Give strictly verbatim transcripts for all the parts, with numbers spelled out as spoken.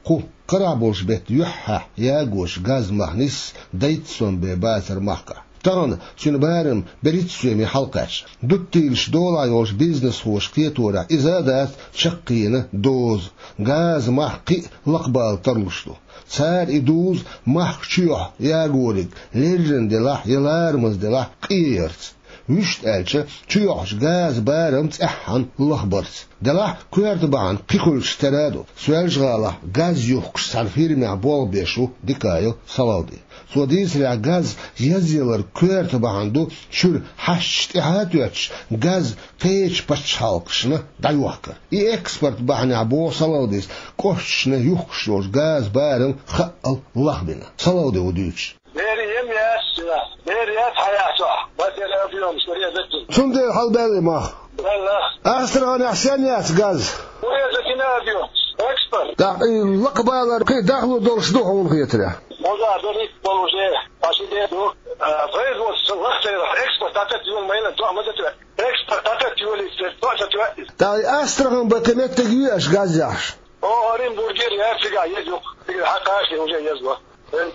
Кху карахь болчу беттан юьххьехь ягочу газан мах нисса дейтта сом бен бацара махкахь. Тахана цуьнан барам берхӀитта соьме хьалакхаьчна. Дуттийлаш долахь йолчу бизнесхоша кхеторехь, иза а дац чаккхенан доза. Газан мах кхин а лакхабала тарлуш ду. Цара и дузу махка чу йохьу ягориг леррина делахь я ларамаза делахь къен ярца. Вуьшта аьлча, чу йохьучу газан барам цӀеххьана лахбарца. Делахь коьрта бахьана кхин хуьлуш тера а ду. Соьлжа-ГӀалахь газ юхкучу цхьана фирмехь болх беш ву Дикаев Салавди. Цо дийцарехь, газ язъялар коьрта бахьана ду, чуьра хьашташ тӀаьхьа а тоьттуш, газ кхечу пачхьалкхашна дӀайохкар. И экспорт бахьанехь, боху Салавдис, кӀошташна юхкуш йолчу газан барам хаъал лахбина. Салавди ву дуьйцуш. Бер ем яц, бер яц хьан яц ахь, батера объём, что резать. Цундела хьалабаьлла и мах. Белла. Астраханехь сен яц газ? Урезать йина объём. Экспорт. ТӀаккха и лакхабалар кхин а дахлур долуш ду хьуна хетарехь? Хьо за берриг болу уже, почти ду. А, производство лахтера, экспорт атат юн майлан, то мазатра. Экспорт атат юли, то атат юли. ТӀаккха и Астрахань бан кхин меттиг юй аша газ яхьаш? О, Оренбургера яц цигахь еза юкъа. Цигахь хьан кхача уже еза.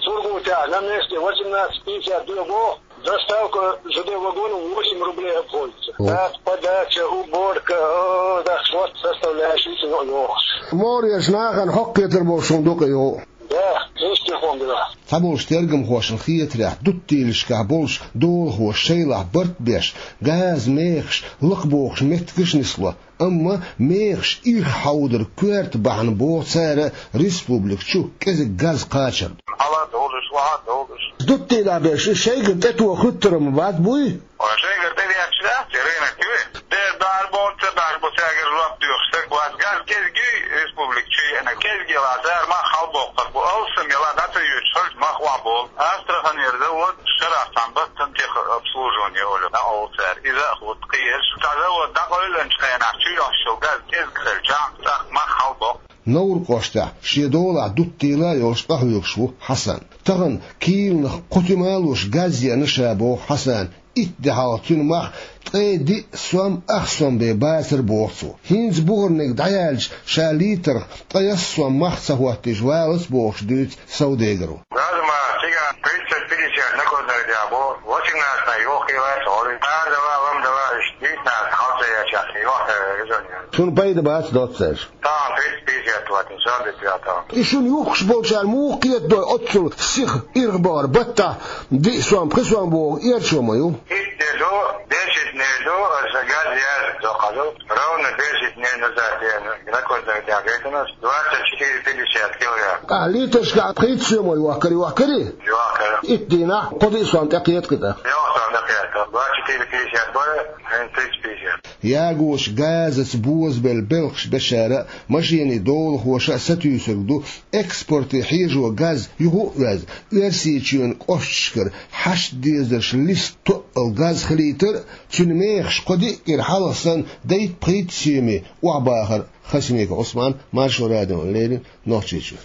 Сургутехь на месте восемнадцать пятьдесят дойла, доставка с Д Д В вагоном восемь рублей обходится. О. Так, подача, уборка, о, так вот составляющие йохуш. Мореш нахана хьокхуьйтур болуш хӀума ду-кх и йоху. Да, честный хӀума ду. Цхьаболчу тергамхошна хетарехь, дуттийлашкахь болчу долахоша шайлахь барт беш, газан мехаш лакхабохуш меттигаш а нисло. Амма мехаш ирх хьовдар коьрта бахьана, боху цара, республика чу кӀезиг газ кхачар ду. Хьала а долуш, охьа а долуш. Дуттийлахь берш шайгара тӀетоха хуьттур ма бац, буй? Ой, шайгара тӀедетташ дац те, рынок юй. Дера дӀа боху, ца дӀа боху, цаьргара жоп доьхуш стаг вац. Газ кӀезиг юй республика чу еана, кӀезиг елахь, цара мах хьалабоккхур бу. Алсам елахь, дӀа ца йоьдуш хилча, мах охьаболу. Астраханера завод шарахь цхьана баттана техобслуживание олу, дӀакъовла цара. Иза а хӀутту кхиерш. Цхьа завод дӀакъевлинчу хенахь чу йохьуш йолу газ кӀезиг хилчахь, цӀаккха мах хьалабоккху. Невран кӀоштахь шен долахь дуттийла а йолуш къахьоьгуш ву Хьасан. Тахана киланах кхо туьма а луш газ еана ша, боху Хьасана. Итт де хьалха цуьнан мах ткъе диъ сом ах сом бен бацара, боху цо. ХӀинца бухарниг дӀаяьлча, ша литрах ткъе ялх сом мах ца хӀоттийча валац, бохуш дуьйцу Савдегару. Газа мах цигахь тридцать пятьдесят накладной дехьа бу, восемнадцать йохкийла а ца гӀо. Ара дала, лам дала, иштта дийцинарца хьал ца ечахь, йохкийла резоне. Цунна пайда бац, доцца аьлча. Тахана тридцать пятьдесят ватна, сабит ваьтан. И шуна юхкуш болчара муха кхетадой оццул сиха ирх бахар, баттахь диъ сом, пхи сом боху эрчо ма ю. Итт де ду, десять дней ду, аса газ яьржа доккхазу, ровно десять дней назад я накладной дехьа гайтина, двадцать четыре пятьдесят килограмм. А литрашкахь пхийтта сом йохкар, йохкарий? Йохкар. Итт дийнахь кхо диъ сом тӀекхета кхин тӀаккха. Ялх сом тӀекхета, двадцать четыре пятьдесят бара, хӀинца тридцать пятьдесят. Ягочу газаца бозабелла белхаш бечара а, машенийн долахоша а сатуьйсург ду, экспорте хьежо газ юха а оьзна, Оьрсийчоьнан кӀошташкара хьашт дезарш листа тоъал газ хилийтар а, цуьнан мехаш кхо-диъ кӀира хьалха санна дейтта-пхийтта соьме охьабахар а. Хасимиков Ӏусман, Маршо радиона леррина, Нохчийчуьра.